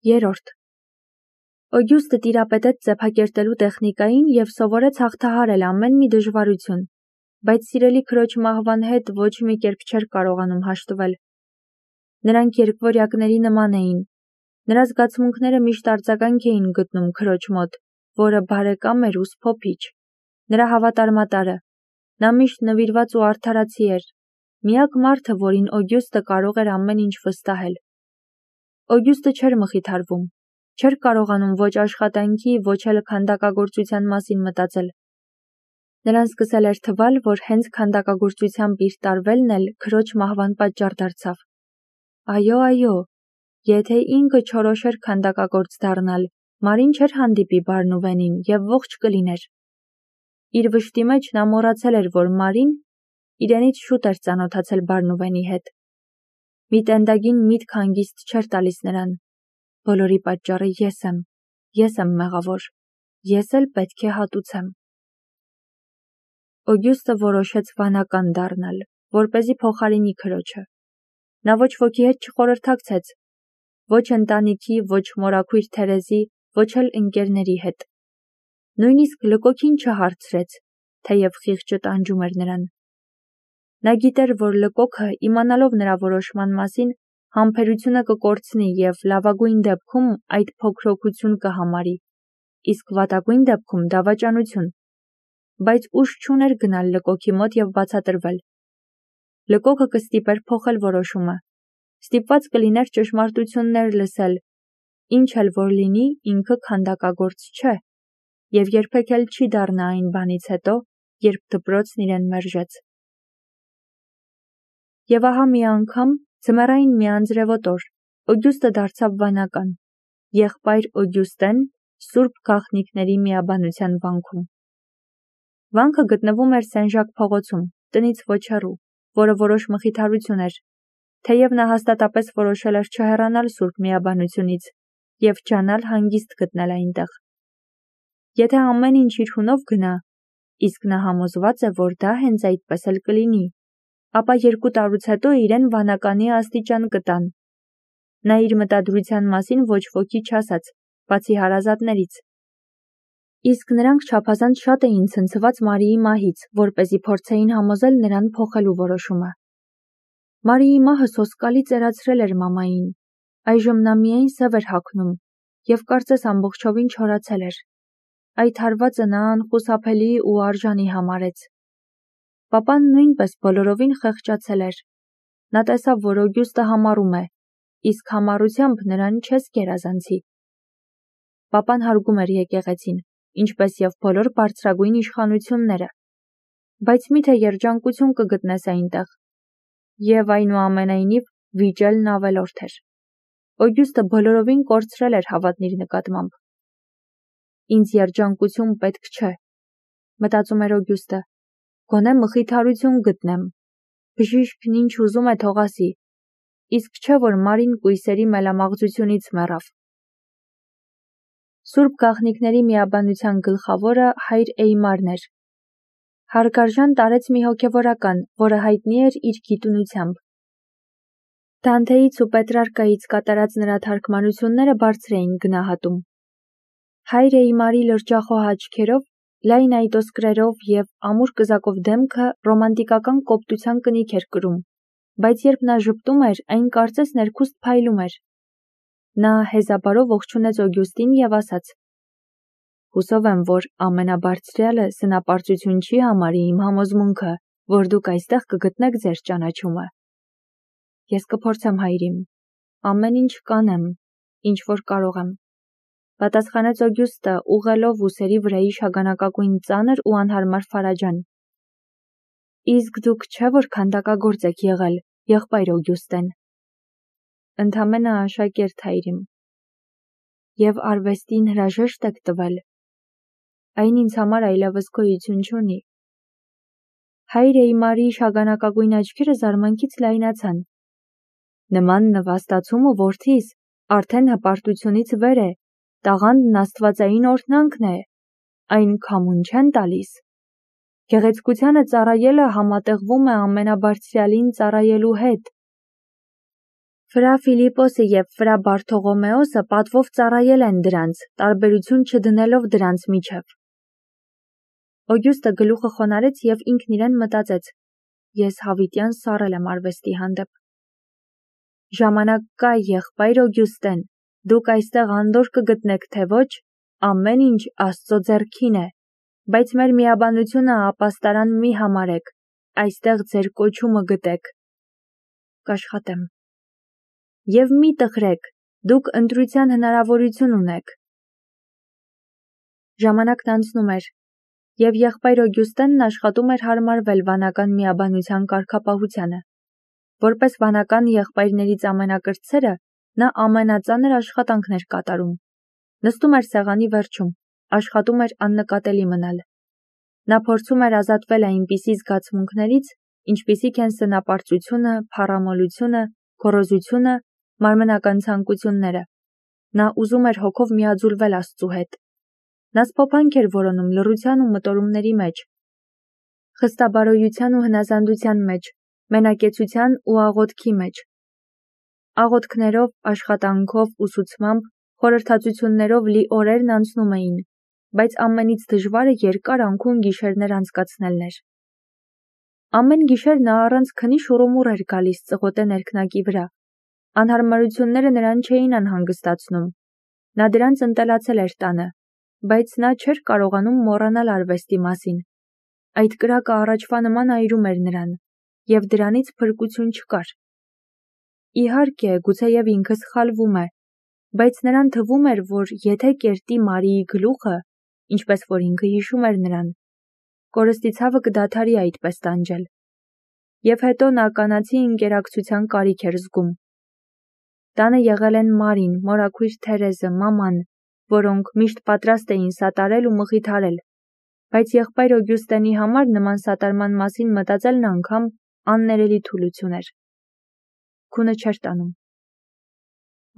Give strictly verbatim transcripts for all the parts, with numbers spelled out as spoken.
Երորդ. Օգյուստը տիրապետեց ծեփակերտելու տեխնիկային և սովորեց հաղթահարել ամեն մի դժվարություն, բայց սիրելի քրոջ մահվան հետ ոչ մի կերպ չէր կարողանում հաշտվել։ Նրանք երկվորյակների նման էին, նրա զգացմունքները միշտ արձագանք էին գտնում քրոջ մոտ, որը բարեկամ էր ու սփոփիչ, նրա հավատարմատարը, նա միշտ նվիրված ու արդարացի էր, միակ մարդը, որին Օգյուստը կարող էր ամեն ինչ վստահել։ Օգյուստը չէր մխիթարվում, չէր կարողանում ոչ աշխատանքի, ոչ էլ քանդակագործության մասին մտածել։ Նրան սկսել էր թվալ, որ հենց քանդակագործությամբ իր տարվելն էլ քրոջ մահվան պատճառ դարձավ։ Այո, այո, եթե ինքը չորոշեր քանդակագործ դառնալ, Մարին չէր հանդիպի Բարնուվենին և ողջ կլիներ։ Իր վշտի մեջ նա մոռացել էր, որ Մարին իրենից շուտ էր ծանոթացել Բարնուվենի հետ։ Մի տենդագին միտք հանգիստ չէր տալիս նրան։ Բոլորի պատճառը ես եմ, ես եմ մեղավոր, ես էլ պետք է հատուցեմ։ Օգյուստը որոշեց վանական դառնալ, որպեսզի փոխարինի քրոջը։ Նա ոչ ոքի հետ չխորհրդակցեց, ոչ ընտանիքի, ոչ մորաքույր Թերեզի, ոչ էլ ընկերների հետ։ Նույնիսկ Լկոքին չհարցրեց, թեև խիղճը տանջում էր նրան։ Նա գիտեր, որ Լկոքը, իմանալով նրա որոշման մասին, համբերությունը կկորցնի և լավագույն դեպքում այդ փոքրոքություն կհամարի, իսկ վատագույն դեպքում դավաճանություն, բայց ուժ չուներ գնալ Լկոքի մոտ և բացատրվել։ Լկոքը կստիպեր փոխել որոշումը, ստիպված կլիներ ճշմարտություններ լսել, ինչ էլ որ լինի, ինքը քանդակագործ չէ, և երբեք էլ չի դառնա այն բանից հետո, երբ դպրոցն իրեն մերժեց։ Եվ ահա մի անգամ, ձմեռային մի անձրևոտ օր, Օգյուստը դարձավ վանական, եղբայր Օգյուստեն Սուրբ Գաղտնիքների միաբանության վանքում։ Վանքը գտնվում էր Սեն-Ժակ փողոցում, տնից ոչ հեռու, որը որոշ մխիթարություն էր, թեև նա հաստատապես որոշել էր չհեռանալ Սուրբ միաբանությունից և ջանալ հանգիստ գտնել այնտեղ։ Եթե ամեն ինչ իր հունով գնա, իսկ նա համոզված է, որ դա հենց այդպես էլ կլինի, ապա երկու տարուց հետո իրեն վանականի աստիճան կտան։ Նա իր մտադրության մասին ոչ ոքի չասաց, բացի հարազատներից։ Իսկ նրանք չափազանց շատ էին ցնցված Մարիի մահից, որպեսզի փորձեին համոզել նրան փոխելու որոշումը։ Մարիի մահը սոսկալի ծերացրել էր մամային, այժմ նա միայն սև էր հագնում և կարծես ամբողջովին չորացել էր։ Այդ հարվածը նա անխուսափելի ու արժանի համարեց։ Պապան նույնպես բոլորովին խեղճացել էր։ Նա տեսավ, որ Օգյուստը համառում է, իսկ համառությամբ նրան չես գերազանցի։ Պապան հարգում էր եկեղեցին, ինչպես և բոլոր բարձրագույն իշխանությունները, բայց միթե երջանկություն կգտնես այնտեղ։ Եվ այնուամենայնիվ վիճելն ավելորդ էր։ Օգյուստը բոլորովին կորցրել էր հավատն իր նկատմամբ։ Ինձ երջանկություն պետք չէ, մտածում էր Օգյուստը, գոնե մխիթարություն գտնեմ, բժիշկն ինչ ուզում է թող ասի, իսկ չէ որ Մարին կույսերի մելամաղձությունից մեռավ։ Սուրբ Գաղտնիքների միաբանության գլխավորը հայր Էյմարն էր։ Հարգարժան տարեց մի հոգևորական, որը հայտնի էր իր գիտունությամբ։ Դանթեից ու Պետրարկայից կատարած նրա թարգմանությունները բարձր էին գնահատում։ Հայր Էյմարի լրջախոհ աչքերով, լայն այտոսկրերով և ամուր կզակով դեմքը ռոմանտիկական կոպտության կնիք էր կրում, բայց երբ նա ժպտում էր, այն կարծես ներքուստ փայլում էր։ Նա հեզաբարով ողջունեց Օգյուստին և ասաց. «Հուսով եմ, որ ամենաբարձրյալը սնապարծություն չի համարի իմ համոզմունքը, որ դուք այստեղ կգտնեք ձեր ճանաչումը»։ Ես կփորձեմ, հայրիմ, ամեն ինչ կանեմ, ինչ որ կարող եմ, պատասխանեց Օգյուստը, ուղղելով ուսերի վրայի շագանակագույն ծանր ու անհարմար ֆարաջան։ Իսկ դուք չէ որ քանդակագործ եք եղել, եղբայր Օգյուստեն։ Ընդամենը աշակերտ, հայրիմ։ Եվ արվեստին հրաժեշտ եք տվել։ Այն ինձ համար այլևս գոյություն չունի։ Հայր Էյմարի շագանակագույն աչքերը զարմանքից լայնացան։ Նման նվաստացումը, որդիս, արդեն հպարտությունից վեր է, տաղանդն աստվածային օրհնանքն է, այն քամուն չեն տալիս։ Գեղեցկությանը ծառայելը համատեղվում է ամենաբարձրյալին ծառայելու հետ։ Ֆրա Ֆիլիպոսը և ֆրա Բարթողոմեոսը պատվով ծառայել են դրանց, տարբերություն չդնելով դրանց միջև։ Օգյուստը գլուխը խոնարհեց և ինքն իրեն մտածեց. ես հավիտյան սառել եմ արվեստի հանդեպ։ Ժամանակ կա, եղբայր Օգյուստեն, դուք այստեղ անդորր կգտնեք, թե ոչ, ամեն ինչ Աստծո ձեռքին է, բայց մեր միաբանությունը ապաստարան մի համարեք, այստեղ ձեր կոչումը գտեք։ Կաշխատեմ։ Եվ մի տխրեք, դուք ընտրության հնարավորություն ունեք։ Ժամանակն անցնում էր, և եղբայր Օգյուստենն աշխատում էր հարմարվել վանական միաբանության կարգապահությանը։ Որպես վանական եղբայրներից ամենակրտսերը, նա ամենածանր աշխատանքն էր կատարում։ Նստում էր սեղանի վերջում, աշխատում էր աննկատելի մնալ։ Նա փորձում էր ազատվել այնպիսի զգացմունքներից, ինչպիսիք են սնապարծությունը, փառամոլությունը, գոռոզությունը, մարմնական ցանկությունները։ Նա ուզում էր հոգով միաձուլվել Աստծու հետ։ Նա սփոփանք էր որոնում լռության ու մտորումների մեջ, խստաբարոյության ու հնազանդության մեջ, մենակեցության ու աղոթքի մեջ։ Աղոթքներով, աշխատանքով, ուսուցմամբ, խորհրդածություններով լի օրերն անցնում էին, բայց ամենից դժվարը երկար անքուն գիշերներ անցկացնելն էր։ Ամեն գիշեր նա առանց քնի շուռումուռ էր գալիս ծղոտե ներքնակի վրա։ Անհարմարությունները նրան չէին անհանգստացնում։ Նա դրանց ընտելացել էր տանը, բայց նա չէր կարողանում մոռանալ արվեստի մասին։ Այդ կրակը առաջվա նման այրում էր նրան, և դրանից փրկություն չկար։ Իհարկե, գուցեև ինքը սխալվում է, բայց նրան թվում էր, որ եթե կերտի Մարիի գլուխը, ինչպես որ ինքը հիշում էր նրան, կորստի ցավը կդադարի այդպես տանջել։ Եվ հետո նա կանացի ընկերակցության կարիք էր զգում։ Տանը եղել են Մարին, մորաքույր Թերեզը, մաման, որոնք միշտ պատրաստ էին սատարել ու մխիթարել, բայց եղբայր Օգյուստենի համար նման սատարման մասին մտածելն անգամ աններելի թուլություն էր։ Քունը չէր տանում։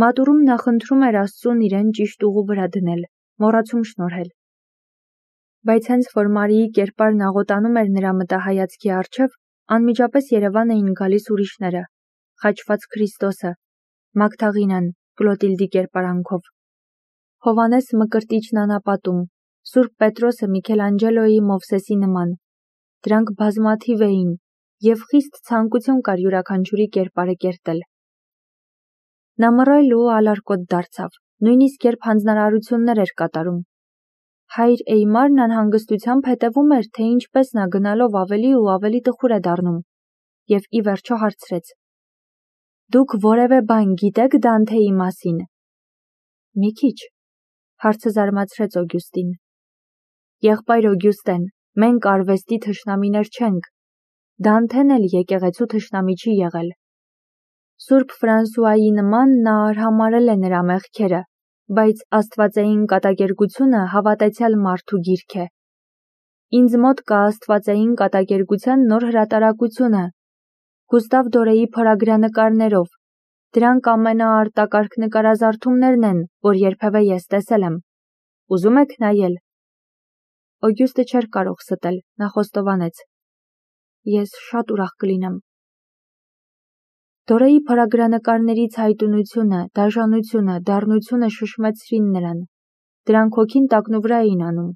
Մատուրում նա խնդրում էր Աստծուն իրեն ճիշտ ուղու վրա դնել, մոռացում շնորհել։ Բայց հենց որ Մարիի կերպարն աղոտանում էր նրա մտահայացքի առջև, անմիջապես Երևան էին գալիս ուրիշները՝ խաչված Քրիստոսը, Մագդաղինան, Կլոտիլդի կերպարանքով, Հովհաննես Մկրտիչն անապատում, Սուրբ Պետրոսը Միքելանջելոյի Մովսեսի նման։ Դրանք բազմաթիվ էին, և խիստ ցանկություն կար յուրաքանչյուրի կերպարը կերտել։ Նա մռայլ ու ալարկոտ դարձավ, նույնիսկ երբ հանձնարարություններ էր կատարում։ Հայր Էյմարն անհանգստությամբ հետևում էր, թե ինչպես նա գնալով ավելի ու ավելի տխուր է դառնում, և ի վերջո հարցրեց. «Դուք որևէ բան գիտեք Դանթեի մասին»։ «Մի քիչ», հարցը զարմացրեց Օգյուստին։ «Եղբայր Օգյուստեն, մենք արվեստի թշնամիներ չենք։ Դանթեն էլ եկեղեցու թշնամի չի եղել։ Սուրբ Ֆրանսուայի նման նա արհամարհել է նրա մեղքերը, բայց աստվածային կատակերգությունը հավատացյալ մարդու գիրք է։ Ինձ մոտ կա աստվածային կատակերգության նոր հրատարակությունը Գուստավ Դորեի փորագրանկարներով։ Դրանք ամենաարտակարգ նկարազարդումներն են, որ երբևէ ես տեսել եմ։ Ուզում եք նայել։ Օգյուստը չէր կարող ստել, նա խոստովանեց. Ես շատ ուրախ կլինեմ։ Դորեի փորագրանկարների ցայտունությունը, դաժանությունը, դառնությունը շշմեցրին նրան։ Դրանք հոգին տակնուվրա էին անում։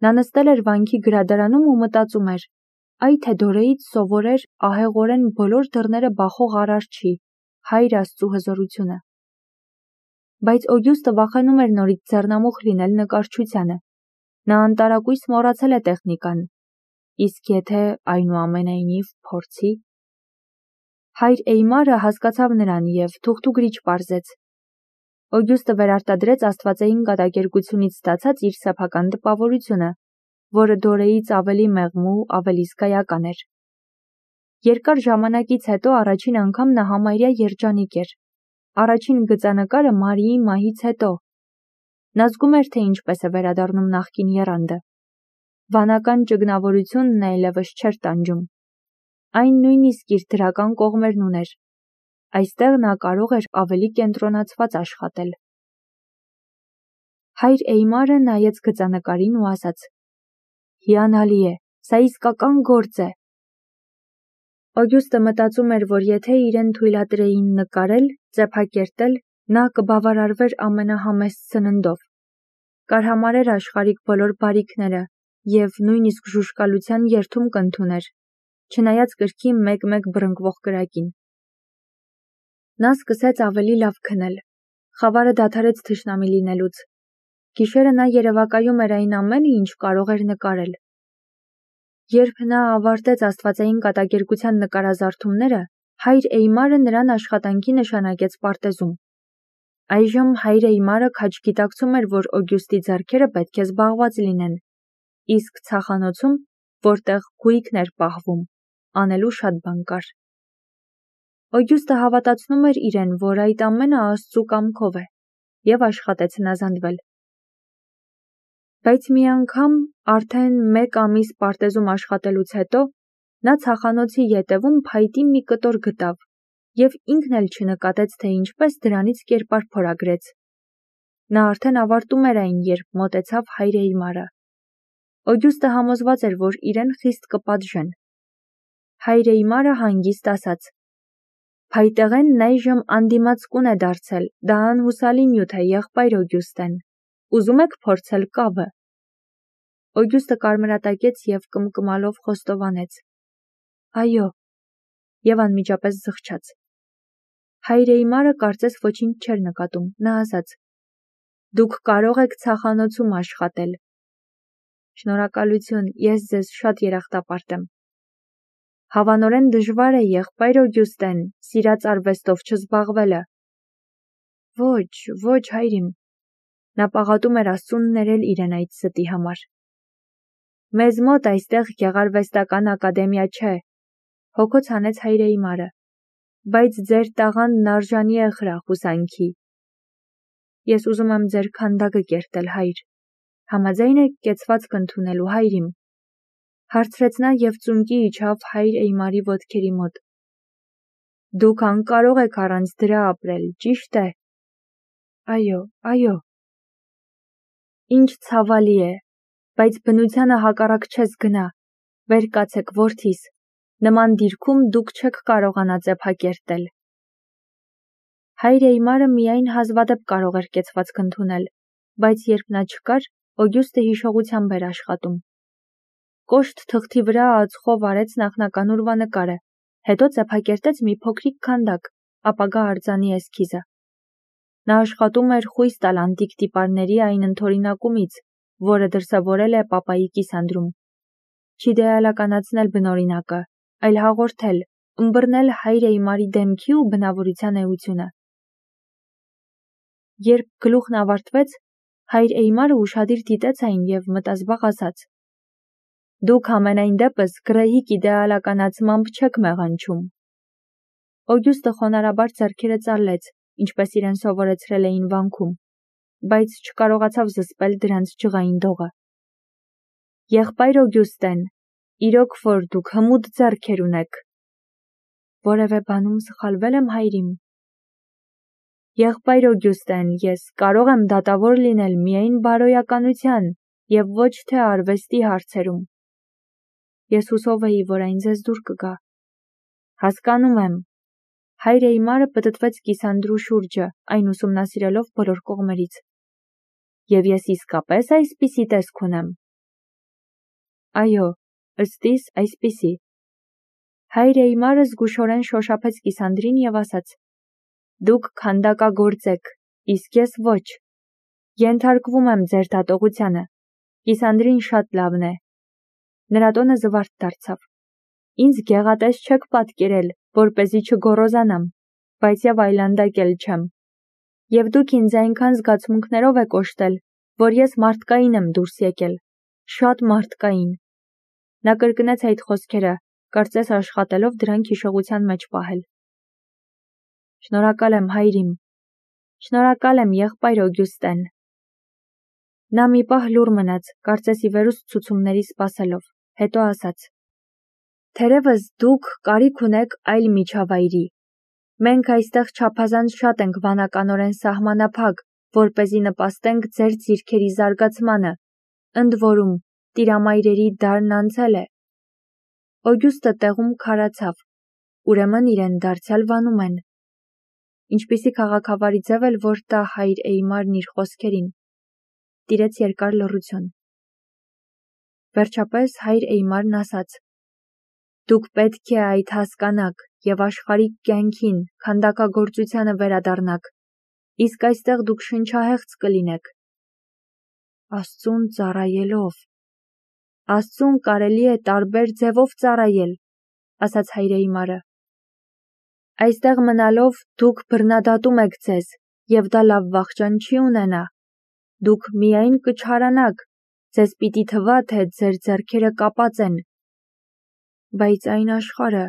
Նա նստել էր վանքի գրադարանում ու մտածում էր. այ թե Դորեից սովորեր ահեղորեն բոլոր դռները բախող Արարչի, Հայր Աստծու հզորությունը։ Բայց Օգյուստը վախենում էր նորից ձեռնամուխ լինել նկարչությանը։ Նա անտարակույս մոռացել է տեխնիկան։ Իսկ եթե այնուամենայնիվ փորձի։ Հայր Էյմարը հասկացավ նրան և թուղթուգրիչ պարզեց։ Օգյուստը վերարտադրեց աստվածային կատակերգությունից ստացած իր սեփական տպավորությունը, որը Դորեից ավելի մեղմ ու ավելի զգայական էր։ Երկար ժամանակից հետո առաջին անգամ նա համարյա երջանիկ էր։ Առաջին գծանկարը Մարիի մահից հետո։ Նա զգում էր, թե ինչպես է վերադառնում նախկին եռանդը։ Վանական ճգնավորությունն այլևս չէր տանջում։ Այն նույնիսկ իր դրական կողմերն ուներ։ Այստեղ նա կարող էր ավելի կենտրոնացված աշխատել։ Հայր Էյմարը նայեց գծանկարին ու ասաց. «Հիանալի է, սա իսկական գործ է»։ Օգյուստը մտածում էր, որ եթե իրեն թույլատրեին նկարել, ծեփակերտել, նա կբավարարվեր ամենահամեստ սննդով, կարհամարեր աշխարհիկ բոլոր բարիքները և նույնիսկ ժուժկալության երդում կընդուներ, չնայած կրկի մեկ-մեկ բռնկվող կրակին։ Նա սկսեց ավելի լավ քնել, խավարը դադարեց թշնամի լինելուց, գիշերը նա երևակայում էր այն ամենը, ինչ կարող էր նկարել։ Երբ նա ավարտեց աստվածային կատակերգության նկարազարդումները, հայր Էյմարը նրան աշխատանքի նշանակեց պարտեզում։ Այժմ հայր Էյմարը քաջգիտակցում էր, որ Օգյուստի ձեռքերը պետք է զբաղված լինեն, իսկ ցախանոցում, որտեղ գույքն էր պահվում, անելու շատ բան կար։ Օգյուստը հավատացնում էր իրեն, որ այդ ամենը Աստծու կամքով է, և աշխատեց հնազանդվել։ Բայց մի անգամ, արդեն մեկ ամիս պարտեզում աշխատելուց հետո, նա ցախանոցի ետևում փայտի մի կտոր գտավ և ինքն էլ չնկատեց, թե ինչպես դրանից կերպար փորագրեց։ Նա արդեն ավարտում էր այն, երբ մոտեցավ հայր Էյմարը։ Օգյուստը համոզված էր, որ իրեն խիստ կպատժեն։ Հայր Էյմարը հանգիստ ասաց. «Փայտեղենն այժմ անդիմացկուն է դարձել, դա անհուսալի նյութ է, եղբայր Օգյուստեն, ուզում եք փորձել կավը»։ Օգյուստը կարմրատակեց և կմկմալով խոստովանեց. «Այո», և անմիջապես զղջաց։ Հայր Էյմարը կարծես ոչինչ չէր նկատում, նա ասաց. «Դուք կարող եք ցախանոցում աշխատել»։ Շնորհակալություն, ես ձեզ շատ երախտապարտ եմ։ Հավանորեն դժվար է, եղբայր Օգյուստեն, սիրած արվեստով չզբաղվելը։ Ոչ, ոչ, հայրիմ։ Նա պաղատում էր Աստծուն ներել իրեն այդ ստի համար։ Մեզ մոտ այստեղ գեղարվեստական ակադեմիա չէ, հոգոց հանեց հայր Էյմարը, բայց ձեր տաղանդն արժանի է խրախուսանքի։ Ես ուզում եմ ձեր քանդակը կերտել, հայր։ Համաձայն եք կեցվածք ընդունելու, հայրիմ։ Հարցրեց նա և ծունկի իջավ հայր Էյմարի ոտքերի մոտ։ Դուք անկարող եք առանց դրա ապրել, ճիշտ է։ Այո, այո։ Ինչ ցավալի է, բայց բնությանը հակառակ չես գնա, վեր կացեք, որդիս, նման դիրքում դուք չեք կարողանա ծեփակերտել։ Հայր Էյմարը միայն հազվադեպ կարող էր կեցվածք ընդունել, բայց երբ նա չկար, Օգյուստը հիշողությամբ էր աշխատում։ Կոշտ թղթի վրա ածխով արեց նախնական ուրվանկարը, հետո ծեփակերտեց մի փոքրիկ քանդակ, ապագա արձանի էսքիզը։ Նա աշխատում էր խույս տալ անտիկ տիպարների այն ընդօրինակումից, որը դրսևորել է պապայի կիսանդրում։ Չիդեալականացնել բնօրինակը, այլ հաղորդել, ըմբռնել հայր Էյմարի դեմքի ու բնավորության էությունը։ Երբ գլուխն ավարտվեց, հայր Էյմարը ուշադիր դիտեց այն և մտազբաղ ասաց. Դուք ամենայն դեպս գրեհիկ իդեալականացմամբ չեք մեղանչում։ Օգյուստը խոնարհաբար ձեռքերը ծալեց, ինչպես իրեն սովորեցրել էին վանքում, բայց չկարողացավ զսպել դրանց ջղային դողը։ Եղբայր Օգյուստեն, իրոք որ դուք հմուտ ձեռքեր ունեք։ Որևէ բանում սխալվե՞լ եմ, հայրիմ։ Եղբայր Օգյուստեն, ես կարող եմ դատավոր լինել միայն բարոյականության և ոչ թե արվեստի հարցերում։ Ես հուսով էի, որ այն ձեզ դուր կգա։ Հասկանում եմ։ Հայր Էյմարը պտտվեց կիսանդրու շուրջը, այն ուսումնասիրելով բոլոր կողմերից։ Եվ ես իսկապես այսպիսի տեսք ունեմ։ Այո, ըստ իս այսպիսի։ Հայր Էյմարը զգուշորեն շոշափեց կիսանդրին և ասաց. Դուք քանդակագործ եք, իսկ ես ոչ։ Ենթարկվում եմ ձեր դատողությանը։ Կիսանդրին շատ լավն է։ Նրա տոնը զվարթ դարձավ։ Ինձ գեղատես չեք պատկերել, որպեսզի չգոռոզանամ, բայց և այլանդակ էլ չեմ։ Եվ դուք ինձ այնքան զգացմունքներով եք օժտել, որ ես մարդկային եմ դուրս եկել, շատ մարդկային։ Նա կրկնեց այդ խոսքերը, կարծես աշխատելով դրանք հիշողության մեջ պահել։ Շնորհակալ եմ, հայրիմ։ Շնորհակալ եմ, եղբայր Օգյուստեն։ Նա մի պահ լուռ մնաց, կարծես ի վերուստ ցուցումների սպասելով, հետո ասաց. Թերևս դուք կարիք ունեք այլ միջավայրի։ Մենք այստեղ չափազանց շատ ենք վանականորեն սահմանափակ, որպեսզի նպաստենք ձեր ձիրքերի զարգացմանը, ընդ որում տիրամայրերի դարն անցել է։ Օգյուստը տեղում քարացավ, ուրեմն իրեն դարձյալ վանում են։ Ինչպիսի քաղաքավարի ձև էլ որ տա հայր Էյմարն իր խոսքերին։ Տիրեց երկար լռություն։ Վերջապես հայր Էյմարն ասաց. «Դուք պետք է այդ հասկանաք և աշխարհիկ կյանքին, քանդակագործությանը վերադառնաք, իսկ այստեղ դուք շնչահեղձ կլինեք»։ Աստծուն ծառայելով։ Աստծուն կարելի է տարբեր ձևով ծառայել, ասաց հայր Էյմարը։ Այստեղ մնալով դուք բռնադատում եք ձեզ, և դա լավ վախճան չի ունենա։ Դուք միայն կչարանաք, ձեզ պիտի թվա, թե ձեր ձեռքերը կապած են։ Բայց այն աշխարհը,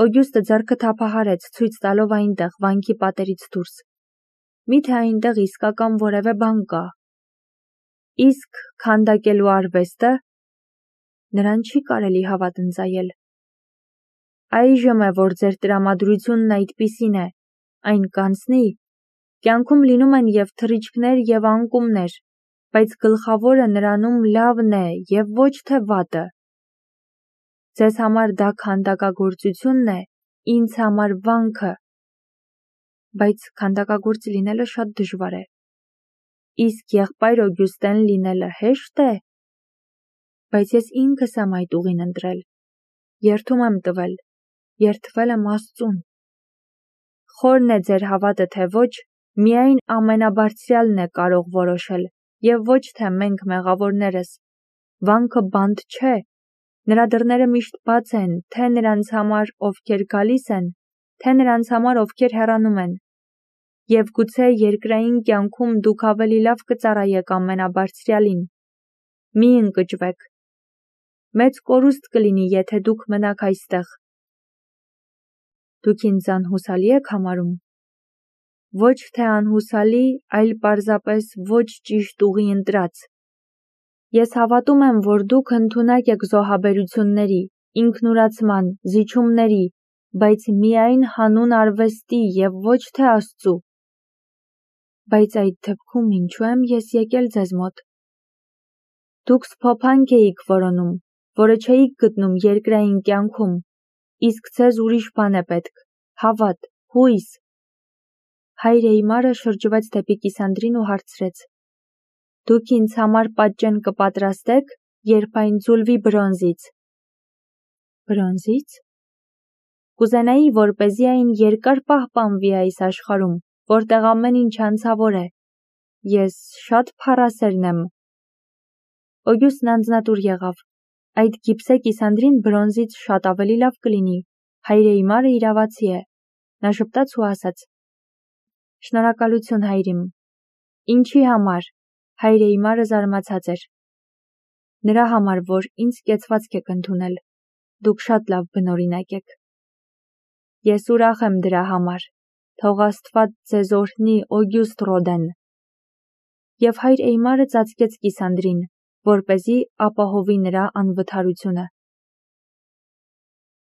Օգյուստը ձեռքը թափահարեց, ցույց տալով այնտեղ վանքի պատերից դուրս։ Միթե այնտեղ իսկական որևէ բան կա։ Իսկ քանդակելու արվեստը նրան չի կարելի հավատնձայել։ Այժմ է, որ ձեր տրամադրությունն այդպիսին է, այն կանցնի, կյանքում լինում են և թռիչքներ, և անկումներ, բայց գլխավորը նրանում լավն է և ոչ թե վատը։ Ձեզ համար դա քանդակագործությունն է, ինձ համար վանքը։ Բայց քանդակագործ լինելը շատ դժվար է։ Իսկ եղբայր Օգյուստեն լինելը հեշտ է։ Բայց ես ինքս եմ այդ ուղին ընտրել, երդում եմ տվել, երդվել եմ Աստծուն։ Խորն է ձեր հավատը, թե ոչ, միայն ամենաբարձրյալն է կարող որոշել, և ոչ թե մենք մեղավորներս։ Վանքը բանտ չէ, նրա դռները միշտ բաց են, թե նրանց համար, ովքեր գալիս են, թե նրանց համար, ովքեր հեռանում են։ Եվ գուցե երկրային կյանքում դուք ավելի լավ կծառայեք ամենաբարձրյալին։ Մի ընկճվեք։ Մեծ կորուստ կլինի, եթե դուք մնաք այստեղ։ Դուք ինձ անհուսալի եք համարում։ Ոչ թե անհուսալի, այլ պարզապես ոչ ճիշտ ուղի ընտրած։ Ես հավատում եմ, որ դուք ընդունակ եք զոհաբերությունների, ինքնուրացման, զիջումների, բայց միայն հանուն արվեստի և ոչ թե Աստծու։ Բայց այդ դեպքում ինչու եմ ես եկել ձեզ մոտ։ Դուք սփոփանք էիք որոնում, որը չէիք գտնում երկրային կյանքում, իսկ ձեզ ուրիշ բան է պետք՝ հավատ, հույս։ Հայր Էյմարը շրջվեց դեպի Կիսանդրին ու հարցրեց. Դուք ինձ համար պատճեն կպատրաստեք, երբ այն ձուլվի բրոնզից։ Բրոնզից։ Կուզենայի, որպեսզի այն երկար պահպանվի այս աշխարհում, որտեղ ամեն ինչ անցավոր է։ Ես շատ փառասերն եմ։ Օգյուստն անձնատուր եղավ։ Այդ գիպսե Կիսանդրին բրոնզից շատ ավելի լավ կլինի։ Հայր Էյմարը իրավացի է։ Նա ժպտաց ու ասաց. Շնորհակալություն, հայրիմ։ Ինչի համար։ Հայր Էյմարը զարմացած էր։ Նրա համար, որ ինձ կեցվածք եք ընդունել։ Դուք շատ լավ բնօրինակ եք։ Ես ուրախ եմ դրա համար։ Թող Աստված ձեզ օրհնի, Օգյուստ Ռոդեն։ Եվ հայր Էյմարը ծածկեց Կիսանդրին, որպեսզի ապահովի նրա անվթարությունը։